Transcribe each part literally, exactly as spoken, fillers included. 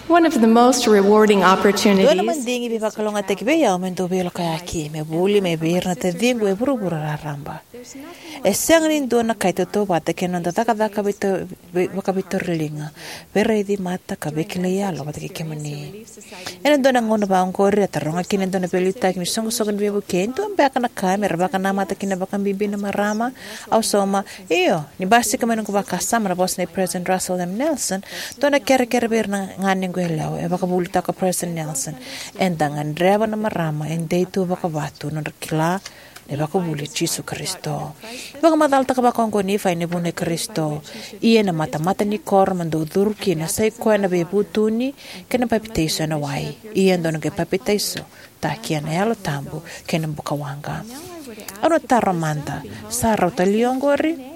One of the most rewarding opportunities. Dua na madigi veivakalougatataki vei au me dau veilakoyaki, me vuli mai vei ira na taciqu e vuravura raraba. E sega ni dua na ka e tautauvata kei na noda cakacaka veito-, vei-, vakaveitauriliga, veiraici mata ka veikilai yalo vata kei kemuni. Ena dua na gauna vaqori, a taroga kina e dua na veiliutaki ni soqosoqo ni veivuke, e dua beka na ka me ra vakanamata kina vakabibi na marama? Au sauma, io, ni basika mai noqu vakasama na vosa nei President Russell M. Nelson, dua na kerekere vei ira na ganequ yalewa, e vakavuvulitaka o President Nelson. Eda gadreva na marama e dei tu vakavatu nodra kila na ivakavuvuli i Jisu Karisito. Vakamacalataka vakaoqo o Nifai ni vunau i Karisito. Ia na matamata ni koro mo dou curu kina sa i koya na veivutuni kei na papitaiso ena wai. Ia dou na qai papitaiso taki ena Yalo Tabu kei na buka waqa. Au na taro mada, sa rauta li oqori?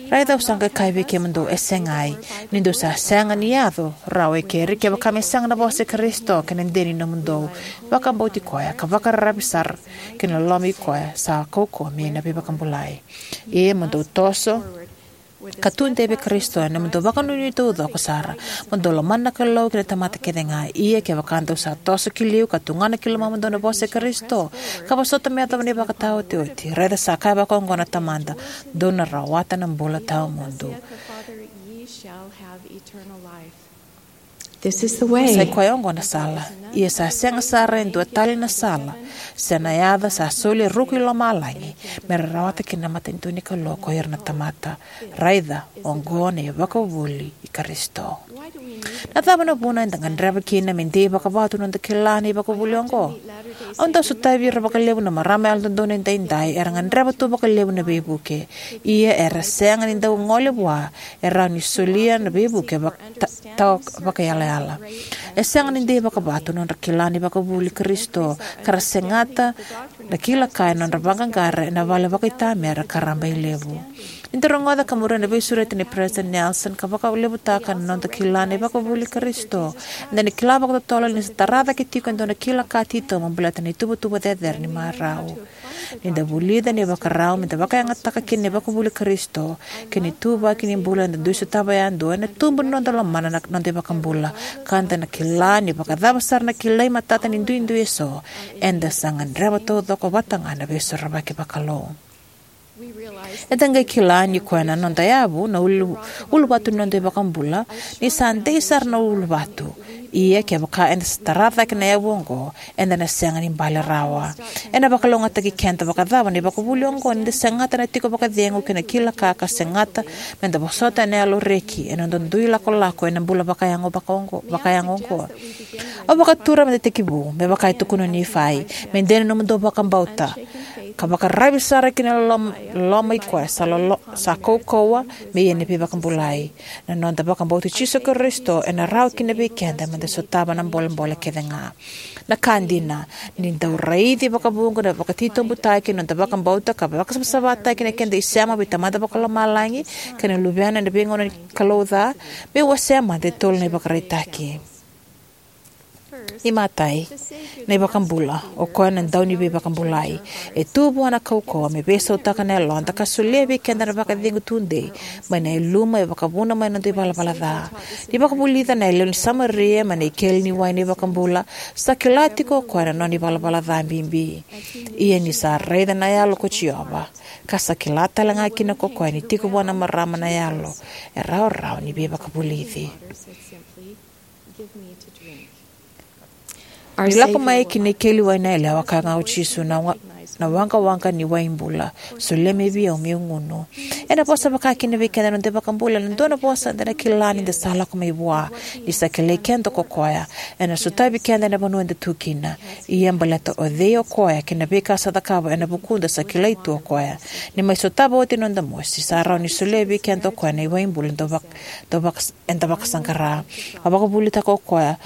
Raica au sa qai kaya vei kemudou, e segai, ni dou sa sega ni yaco rawa e keri kevaka me sega na vosa i Karisito kei na dina ni nomudou vakabauti koya ka vakararavi sara ki na loloma i koya sa kaukauwa me na veivakabulai. Ia mo dou toso ka tudei vei Karisito ena nomudou vakanuinui taucoko sara, mo dou lomana na Kalou kei na tamata kece ga. Ia kevaka dou sa toso ki liu ka tugana ki lomamudou na vosa i Karisito, ka vosota me yacova na ivakataotioti, raica sa kaya vakaoqo na Tamada, dou na rawata na bula tawamudu. This is the way. Sa i koya oqo na sala. Ia sa sega sara e dua tale na sala se na yaca sa soli e ruku i lomalagi me ra rawata kina na matanitu ni Kalou ko ira na tamata. Raica, oqo na ivakavuvuli i Karisito. Na cava na vuna eda gadreva kina me dei vakavatu na noda kila na ivakavuvuli oqo? Au dau sotavi ira vakalevu na marama yalododonu edaidai era gadreva tu vakalevu na veivuke. Ia era sega ni dau gole vua e rawa ni solia na veivuke vaka-, ta-, tawa vakayalayala. E sega ni dei vakavatu na nodra kila na ivakavuvuli i Karisito ka ra segata na kila ka ena nodra vaqaqara ena vale vakaitamera ka raba e levu. Ni da rogoca ka muria na veisureti nei President Nelson ka vakalevutaka na noda kila na ivakavuvuli i Karisito, eda na kila vakatotolo ni sa tara cake tiko e dua na kila ka titobu baleta na ituvatuva cecere ni marau. Ni da vulica na ivakarau me da vakayagataka kina na ivakavuvuli i Karisito kei na ituvaki ni bula eda dui sotava yadua, ena tubu na noda lomana na noda iVakabula, ka da na kila ni vakacava sara na kilai matata ni duidui eso, eda sa gadreva taucoko vata ga na veisorovaki vakalou. Eda qai kila ni koya na noda yavu na ulu, uluvatu ni noda iVakabula, ni sa dei sara na uluvatu. Ia kevaka eda sa tara cake na yavu oqo, eda na sega ni bale rawa. Ena vakalougatataki keda vakacava na ivakavuvuli oqo ni da segata na tiko vakacegu kei na kila ka, ka segata me da vosota ena yalo reki ena noda dui lakolako ena bula vakayago vakaoqo, vakayago oqo? Au vakatura me da tekivu me vaka e tukuna o Nifai, me dei na nomudou vakabauta ka vakararavi sara ki na loloma, loloma i koya sa lolo-, sa kaukauwa me ia na veivakabulai. Na noda vakabauti Jisu Karisito ena rawa kina vei keda me da sotava na bolebole kece ga. Na ka dina, ni dau raici vakavuqa na vakatitobutaki na noda vakabauta ka vakasavasavataki na keda isema vei Tamada Vakalomalagi kei na Luvena ena veigauna ni Kalou ca, me wasea mada e tolu na ivakaraitaki. Imatai, na iVakabula, o koya na dau ni veivakabulai. E tu vua na kaukauwa me veisautaka na yaloda ka solia vei keda na vakacegu tudei mai na yaluma e vakavuna mai na noda ivalavala ca. Ni vakavulica na yalewa ni Samaria mai na ikeli ni wai na iVakabula, sa kila tiko o koya na nona ivalavala ca bibi. Ia ni sa raica na yalo ko Jiova, ka sa kila tale ga kina ko koya ni tiko vua na marama na yalo, e rawarawa ni veivakavulici. Ni lako mai ki na ikeli wai na yalewa, kaya ga o Jisu, na wa-, na waqawaqa ni wai bula, solia mai vei au meu gunu. Ena vosa vaka kina vei keda na noda iVakabula ena dua na vosa eda na kila ni da sa lako mai vua, ni sa kilai keda ko koya. Ena sotavi keda ena vanua eda tu kina. Ia baleta o cei o koya kei na veika sa cakava ena vukuda sa kilai tu o koya. Ni mai sotava oti na noda mosi, sa rawa ni solia vei keda o koya na iwai bula dau vak-, dau vak-, eda vakasaqara. A vakavulitaka o koya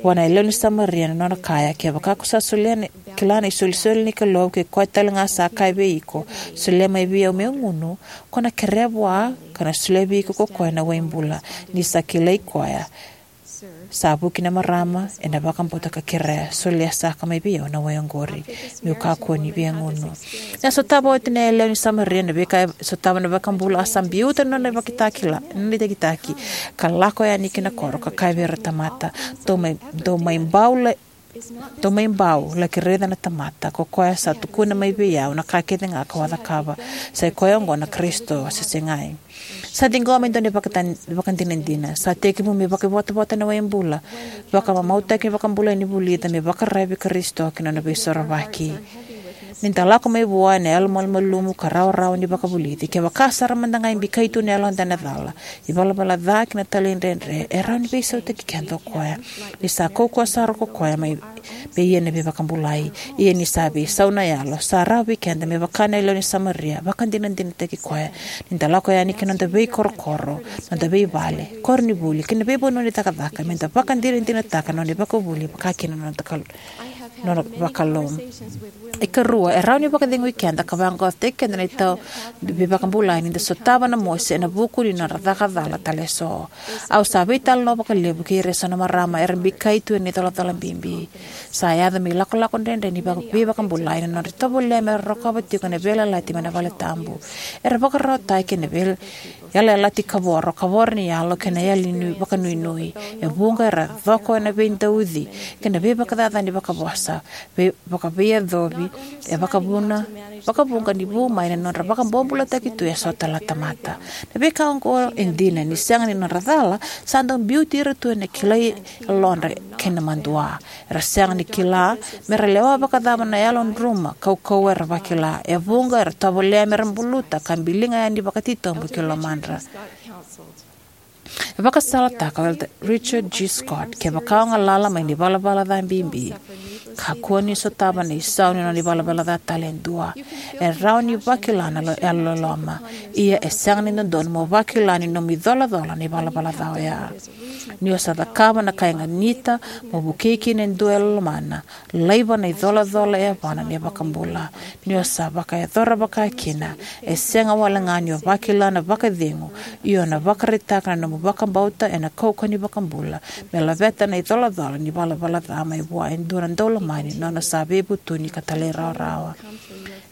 vua na yalewa ni Samaria na nona kaya, kevaka ko sa solia na, kila na isolisoli ni Kalou, kei koya tale ga sa kaya vei iko, solia mai vei au meu gunu, ko na kerea vua, ka na solia vei iko ko koya na wai bula, ni sa kilai koya Sa vuki na marama ena vakabauta ka kerea, solia saka mai vei au na wai oqori, meu kakua ni via gunu. Ena sotava oti na yalewa ni Samaria na veika e sotava na iVakabula, a sa biuta na nona ivakitakila, na nona itakitaki, ka lako yani ki na koro, ka kaya vei ira na tamata, dou mai, dou mai bau la, dou mai bau, laki raica na tamata, ko koya sa tukuna mai vei au na ka kece ga kau a cakava, sa i koya oqo na Karisito se segai. Sa ciqoma e dua na ivakatan-, ivakadinadina. Sa tekivu me vakaivotavota na wai bula. Vakamamautaki vakabulai ni vulica me vakararavi Karisito kei na nona veisorovaki. Ni da lako mai vua ena yalomalumalumu ka rawarawa ni vakavulici, kevaka sara mada ga e bikai tu na yaloda ena cala, ivalavala ca kei na talaidredre, e rawa ni veisautaki keda o koya. Ni sa kaukauwa sara ko koya mai me ia na veivakabulai. Ia ni sa veisau na yalo, sa rawa vei keda me vaka na yalewa ni Samaria, vakadinadinataki koya. Ni da lako yani ki na noda veikorokoro, noda veivale, koronivuli, kei na veivanua ni cakacaka, me da vakadinadinataka na nona ivakavuvuli, vaka kina na noda kal-, nona vakalou. Ikarua, e rawa ni vakacegui keda ka vaqaqacotaki keda na itau ni veivakabulai ni da sotava na mosi ena vuku ni nodra caka cala tale eso. Au sa veitalanoa vakalevu kei ira eso na marama era bikai tu ena icolacola bibi. Sa yaco me ilakolako dredre ni vaka-, veivakabulai na nodra tovolea mera rokova tiko na veiyalayalati mai na valetabu. Era vakararawataki ena vei-, yalayalati kavoro, kavoro ni yalo kei na yali ni vakanuinui. E vuqa era coko ena veidauci kei na veivakacacani vakavosa, vei-, vakaveiyacovi, e vakavuna, vakavuqa ni vu mai na nodra vakabobulataki tu eso tale na tamata. Na veika oqo e dina ni sega ni nodra cala, sa dau biuti ira tu ena kilai yalodra kei na madua. Era sega ni kila mera lewa vakacava na yalodruma, kaukauwa era vakila. E vuqa era tovolea mera buluta ka biliga yani vakatitobu ki lomadra. E vakasalataka o Elder Richard G. Scott, kevaka o galala mai na ivalavala ca bibi, kakua ni sotava na isau ni nona ivalavala ca tale e dua. E rawa ni vakila na lo-, yalololoma, ia e sega ni dodonu mo vakila ni nomu icolacola na ivalavala ca oya. Ni o sa cakava na ka e ganita mo vukei kina e dua e lomana, laiva na icolacola e yavana na iVakabula. Ni o sa vakayacora vakakina, e sega wale ga ni o vakila na vakacegu, ia o na vakaraitaka na nomu vakabauta ena kaukauwa ni iVakabula me laveta na icolacola ni valavala ca mai vua e dua na daulomani, nona sa veivutuni ka talairawarawa.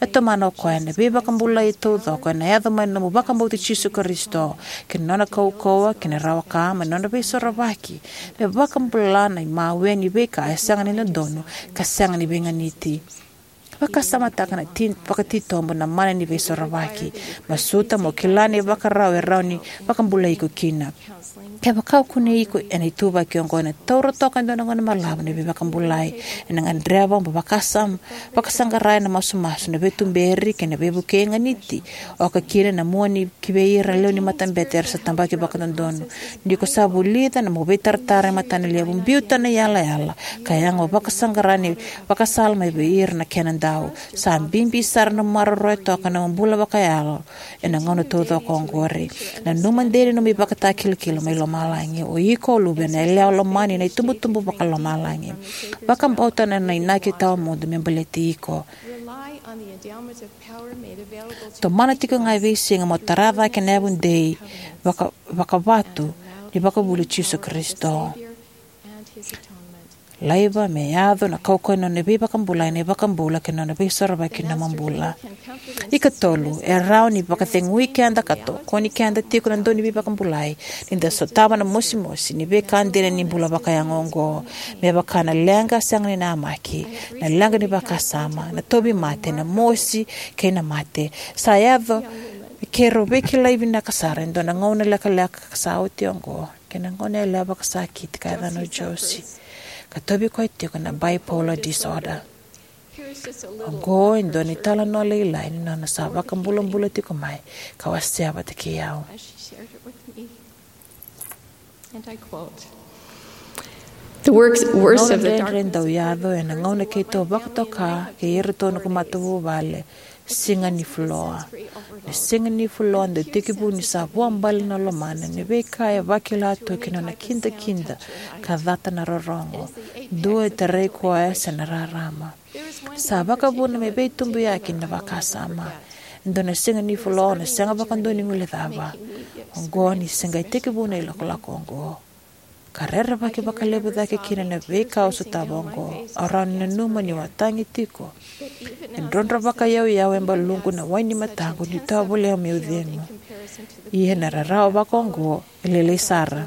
E tomana o koya na veivakabulai taucoko ena yaco mai na nomu vakabauti Jisu Karisito, kei na nona kaukauwa kei na rawa ka mai na nona veisorovaki, me vakabula na imawe ni veika e sega ni dodonu ka sega ni veiganiti. Vakasamataka na ti-, vakatitobu na mana ni veisorovaki. Masuta mo kila na ivakarau e rawa ni vakabulai iko kina. Kevaka o kunei iko ena ituvaki oqo, ena taura toka e dua na gauna balavu ni veivakabulai. Ena gadreva mo vakasam-, vakasaqara ena masumasu na veituberi kei na veivukei e ganiti, oka kina na mua ni ki vei ira na lewe ni matabete era sa tabaki vakadodonu. Ni ko sa vulica na nomu veitaratara e matanalevu, biuta na iyalayala ka yaga mo vakasaqara na ivakasala mai vei ira na kenadau. Sa bibi sara na nomu maroroya toka na nomu bula vakayalo ena gauna taucoko oqori. Nanuma dei na nomu ivakatakilakila mai lomalagi. O iko o luvena yalewa lomani ena itubutubu vakalomalagi. Vakabauta na nona inaki tawamudu me baleti iko. Tomana tiko ga e veisiga mo tara cake na yavu dei vaka-, vakavatu ni ivakavuvuli i Jisu Karisito. Laiva me yaco na kaukauwa ni nona veivakabulai na iVakabula kei na nona veisorovaki na nomu bula. Ikatolu, e rawa ni vakacegui keda ka tokoni keda tiko na dau ni veivakabulai ni da sotava na mosimosi ni veika dina ni bula vakayago oqo, me vaka na leqa sega ni namaki, na leqa ni vakasama, na tauvimate, na mosi kei na mate. Sa yaco me keirau veikilai vinaka sara e dua na gauna lekaleka ka sa oti oqo kei na goneyalewa vakasakiti ka yacana o Josie, ka tauvi koya tiko na bipolar disorder. Oqo e dua na italanoa lailai ni nona sa vakabulabula tiko mai ka wasea vata kei au. The works, worst of the dark dredre dau yaco ena gauna keitou vakatoka kei iratou na noqu matavuvale, siga ni fuloa. Na siga ni fuloa dau tekivu ni sa vuabale na lomana, ni veika e vakila tu kina na kidakida ka cata na rorogo. Dua e tarai koya se na rarama. Sa vakavuna me veitubuyaki na vakasama. Dua na siga ni fuloa na sega vakadua ni guilecava. Oqo ni se qai tekivu na ilakolako oqo. ka rerevaki vakalevu cake kina na veika au sotava oqo. Au rawa ni nanuma niu a tagi tiko e drodro vakayauyau e baluqu na wai ni mataqu niu tovolea meu cegu. Ia na rarawa vakaoqo e lailai sara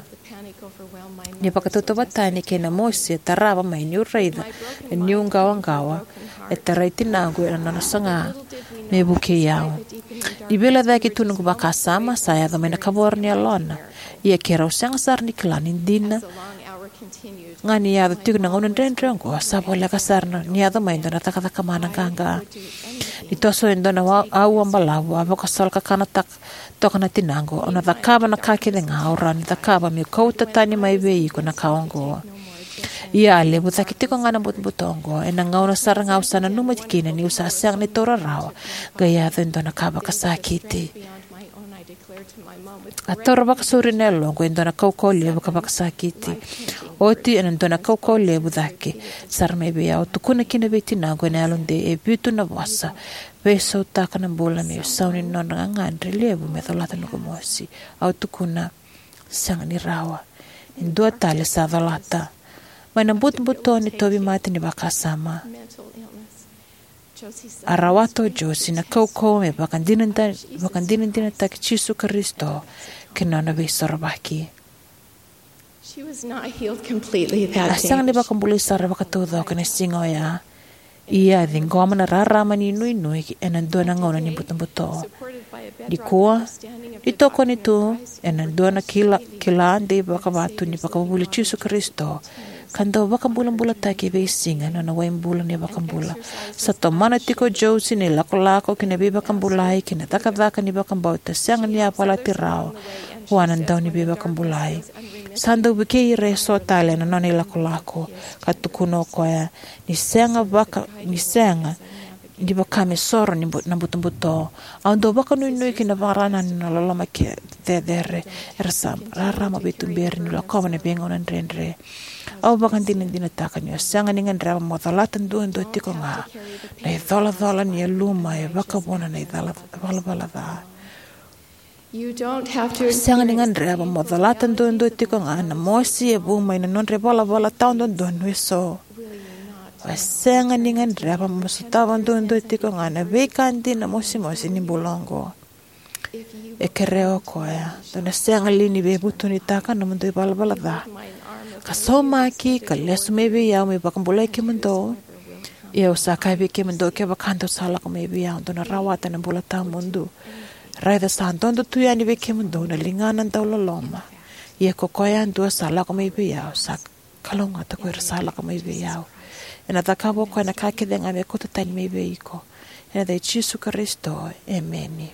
ni vakatautauvatani kei na mosi e tarava mai niu raica na niuqawaqawa e tarai tinaqu ena nona saga me vukei au. Ni veilecayaki tu noqu vakasama, sa yaco mai na kavoro ni yalona. Ia keirau sega sara ni kila ni dina ga ni yaco tiko na gauna dredre oqo, sa voleka sara ni yaco mai e dua na cakacaka mana qaqa. Ni toso e dua na wa- auwa balavu, a vakasolokakana tak- toka na tinaqu, "Au na cakava na ka kece ga au rawa ni cakava meu kauta tani mai vei iko na ka oqo." Ia a levu cake tiko ga na butobuto oqo. Ena gauna sara ga au sa nanuma kina niu sa sega ni taura rawa, qai yaco e dua na ka vakasakiti. A taura vakasauri na yaloqu e dua na kaukauwa levu ka vakasakiti. Oti ena dua na kaukauwa levu cake sara mai vei au, au tukuna kina vei tinaqu ena yalodei e vitu na vosa: "Veisautaka na bula meu sau ni nodra gagadre levu me colata noqu mosi." Au tukuna, "Sega ni rawa." E dua tale sa colata. Mai na butobuto ni tauvimate ni vakasama, a rawata o Josie na kaukauwa me vakadinada- vakadinadinataki Jisu Karisito kei na nona veisorovaki. A sega ni vakabulai sara vakataucoko ena siga oya. Ia a ciqoma na rarama ni nuinui ena dua na gauna ni butobuto. Nikua, ni tokoni tu ena dua na kila, kila dei vakavatu ni vakavuvuli Jisu Karisito, ka dau vakabulabulataki e veisiga na nona waibula na iVakabula. Sa tomana tiko o Josie na ilakolako ki na veivakabulai kei na cakacaka ni vakabauta sega ni yavalati rawa vua na Dauniveivakabulai. Sa dau vukei ira eso tale ena nona ilakolako, ka tukuna o koya, "Ni sega vaka- ni sega ni vaka me soro ni bu- na butobuto. Au dau vakanuinui ki na vakarau ni nona loloma ke- cecere. Era sa rarama veituberi ni lakova na veigauna dredre." Au vakadinadinataka ni o sega ni gadreva mo colata duadua tiko ga na icolacola ni yaluma e vakavuna na icala- valavala ca. Sega ni gadreva mo colata duadua tiko ga na mosi e vu mai na nodra ivalavala tawadodonu eso. O sega ni gadreva mo sotava duadua tiko ga na veika dina mosimosi ni bula oqo. E kerea o koya, dou na sega li ni veivutunitaka na nomudou ivalavala ca, ka saumaki, ka lesu mai vei au meu vakabulai kemudou? Ia au sa kaya vei kemudou, kevaka dou sa lako mai vei au, dou na rawata na bula tawamudu. Raica, sa dodo tu yani vei kemudou na ligana dauloloma. Ia ko koya yadua sa lako mai vei au, sa kalougata ko ira sa lako mai vei au. Ena cakava o koya na ka kece ga me kauta tani mai vei iko. Ena yaca i Jisu Karisito, emeni.